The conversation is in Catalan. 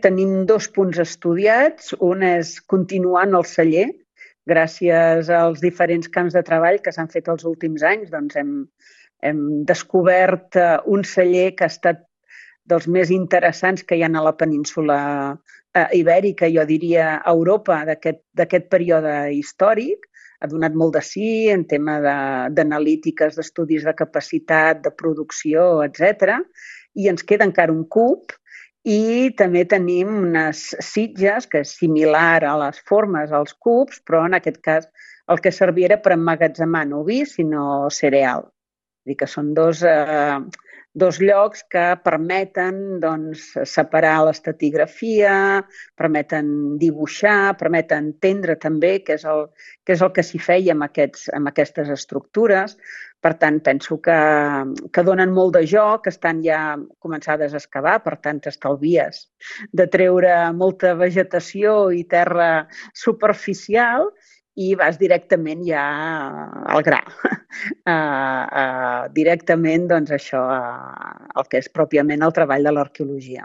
tenim 2 punts estudiats. Un és continuar en el celler. Gràcies als diferents camps de treball que s'han fet els últims anys, doncs hem descobert un celler que ha estat dels més interessants que hi ha a la península ibèrica, jo diria a Europa, d'aquest període històric. Ha donat molt de sí en tema d'analítiques, d'estudis de capacitat, de producció, etc. I ens queda encara un cub i també tenim unes sitges que és similar a les formes als cubs, però en aquest cas el que servia era per emmagatzemar no vi, sinó cereal. Vull dir que són dos llocs que permeten separar l'estratigrafia, permeten dibuixar, permeten entendre també què és el que s'hi feia amb aquestes estructures. Per tant, penso que donen molt de joc, estan ja començades a excavar, per tant, t'estalvies de treure molta vegetació i terra superficial i vas directament ja al gra. Directament, el que és pròpiament el treball de l'arqueologia.